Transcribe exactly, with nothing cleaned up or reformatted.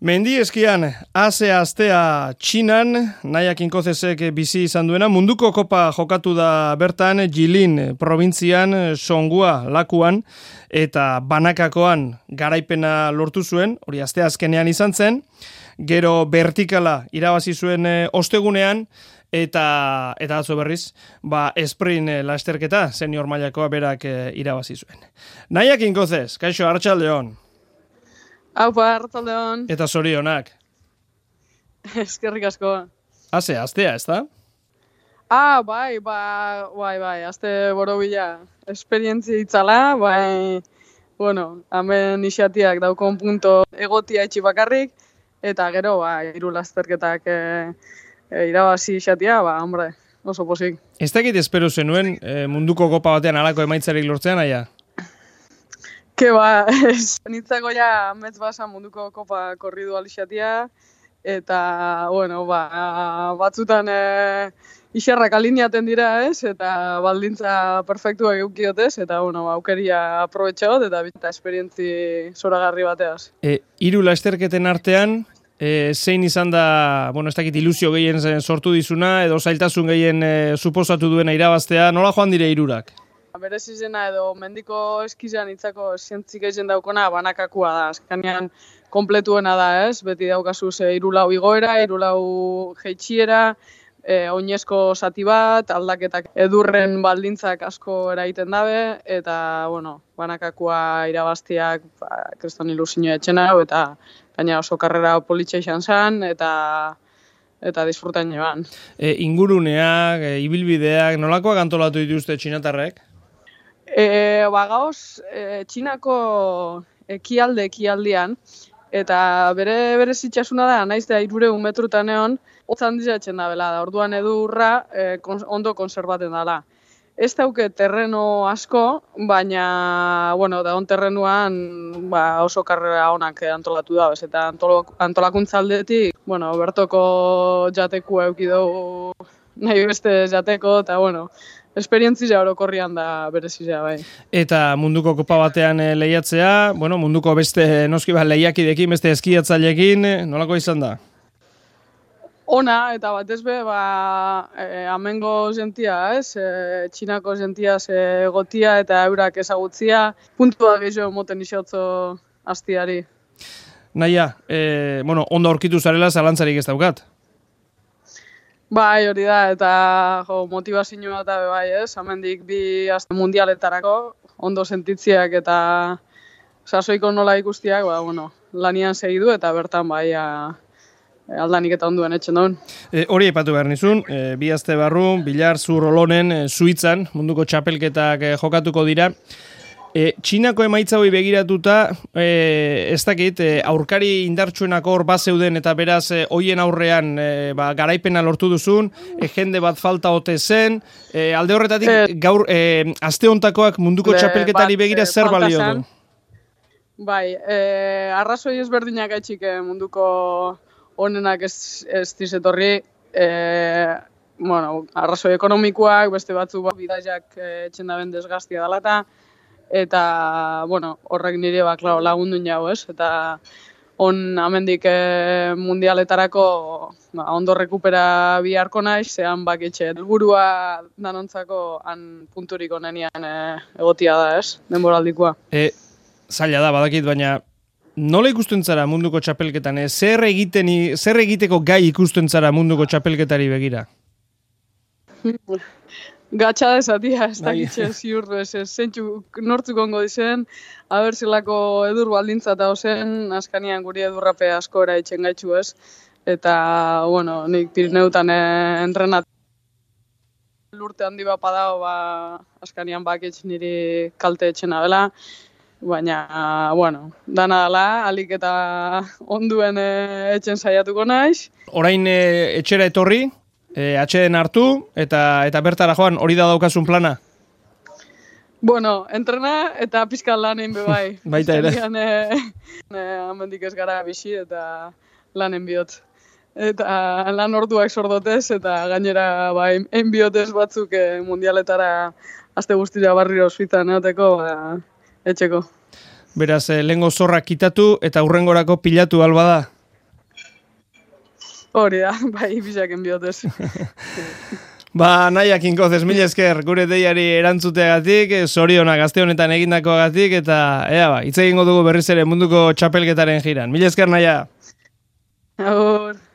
Mendi eskian, haze astea Txinan, Naia Kinkozesek bizi izan duena, munduko kopa jokatu da bertan, Jilin probintzian, Songua lakuan, eta banakakoan garaipena lortu zuen, hori astea azkenean izan zen, gero vertikala irabazi zuen e, ostegunean, eta eta atzo berriz, ba, sprint e, lasterketa, senior mailakoa berak e, irabazi zuen. Naia Kinkozes, kaixo, arratsaldeon. Aupa, arratsaldeon. Eta zorionak. Eskerrik asko. Haze, astea, ez da? Ah, bai, ba, bai, bai, aste borobila. Esperientzia itzala, bai, bueno, hemen isiatiak daukon punto egotia etxi bakarrik, eta gero, ba, hiru lasterketak e, e, irabazi isiatia, ba, hombre, oso posik. Ez dakit espero zenuen e, munduko kopa batean alako emaitzarik lortzean, aia? Ke ba, nitzako ja metz basa munduko kopa korridu alixatia, eta, bueno, ba, batzutan e, iserrak alineaten dira, ez, eta baldintza perfektua eukiotez, eta, bueno, ba, aukeria aprobetxagot, eta bita esperientzi zoragarri bateaz. E, hiru lasterketen artean, e, zein izan da, bueno, ez dakit ilusio gehien sortu dizuna, edo zailtasun gehien e, suposatu duena irabaztea, nola joan dire hirurak? Berez izena edo mendiko eskizan itzako zientzik egin daukona banakakua da. Azkenean kompletuena da, ez? Beti daukazu ze hirulau igoera, hirulau jeitxiera, e, oinezko zati bat, aldaketak edurren baldintzak asko eraiten dabe, eta, bueno, banakakua irabaztiak ba, kriston ilusioa etxena, eta gaina oso karrera politxa izan zen, eta eta disfrutan jeban. E, inguruneak, e, ibilbideak, nolakoak antolatu dituzte txinatarrek? E, ba, gauz, e, Txinako ekialde ekialdian, eta bere bere zitxasuna da, naiz da hirureun metrutan egon, hotzan dizatzen da bela, da orduan edurra e, kons, ondo konserbaten dela. Ez dauke terreno asko, baina, bueno, da on terrenuan ba, oso karrera onak antolatu da, bez, eta antolak, antolakuntza aldetik, bueno, bertoko jatekua euki dugu nahi beste jateko, eta, bueno, esperientzia orokorrian da berezizia, bai. Eta munduko kopa batean e, lehiatzea, bueno, munduko beste noski bat lehiakidekin, beste eskiatzailekin, nolako izan da? Ona, eta batez be, ba, e, amengo zentia, ez? E, Txinako zentia ze gotia eta eurak ezagutzia, puntua gehiago moten isotzo astiari. Naia, e, bueno, ondo aurkitu zarela zalantzarik ez daukat? Bai, hori da, eta jo, motivazioa eta bai, ez? Hemendik bi aste mundialetarako, ondo sentitziak eta sasoiko nola ikustiak, ba, bueno, lanian segidu eta bertan bai, a, aldanik eta onduen etxen daun. E, hori aipatu behar nizun, e, bi aste barru, Bilar Zur Olonen, e, Suitzan, munduko txapelketak e, jokatuko dira. E, Txinako emaitza hori begiratuta, e, ez dakit, e, aurkari indartsuenako hor bat zeuden eta beraz e, hoien aurrean e, ba, garaipena lortu duzun, e, jende bat falta ote zen, e, alde horretatik e, gaur e, aste hontakoak munduko txapelketari begira zer balio du? Bai, e, arrazoi ezberdinak etxik munduko honenak ez, ez dizetorri, e, bueno, arrazoi ekonomikoak, beste batzu bat, bidaiak e, etxen daben desgaztia dalata, eta, bueno, horrek nire ba, klaro, lagundun jau, ez? Eta on amendik e, mundialetarako ba, ondo rekupera biharko naiz, zehan baketxe helburua danontzako han punturik onenian e, egotia da, ez? Denboraldikoa. E, zaila da, badakit, baina nola ikusten zara munduko txapelketan? E, zer, egiten, zer egiteko gai ikusten zara munduko txapelketari begira? Gatsa dezatia, ez dakitxe ziur, ez zentxu nortzuk ongo dizen, haber zelako edur baldintza eta ozen, askanian guri edurrape asko eraitxen gaitxu ez, eta, bueno, nik Pirineutan eh, entrenat lurte handi bat padao, ba, askanian baketx niri kalte etxena bela, baina, bueno, dana dela, alik eta onduen eh, etxen saiatuko naiz. Orain eh, etxera etorri? E, atxeden hartu, eta eta bertara joan, hori da daukazun plana? Bueno, entrena eta pizkan lanen bebai. Baita ere. Amendik ez gara bizi eta lanen bihot. Eta lan orduak sordotez, eta gainera ba, enbiotez batzuk e, mundialetara aste guztira barriro ospitan eoteko, ba, etxeko. Beraz, eh, lehengo zorrak kitatu eta hurrengorako pilatu alba da? Hori da, bai, bisaken biotez. Ba, nahiak inkozez, mil esker gure deiari erantzuteagatik, zorionak gazte honetan egindakoagatik, eta ea ba, hitz egingo dugu berriz ere munduko txapelketaren jiran. Mil esker naia. Agur.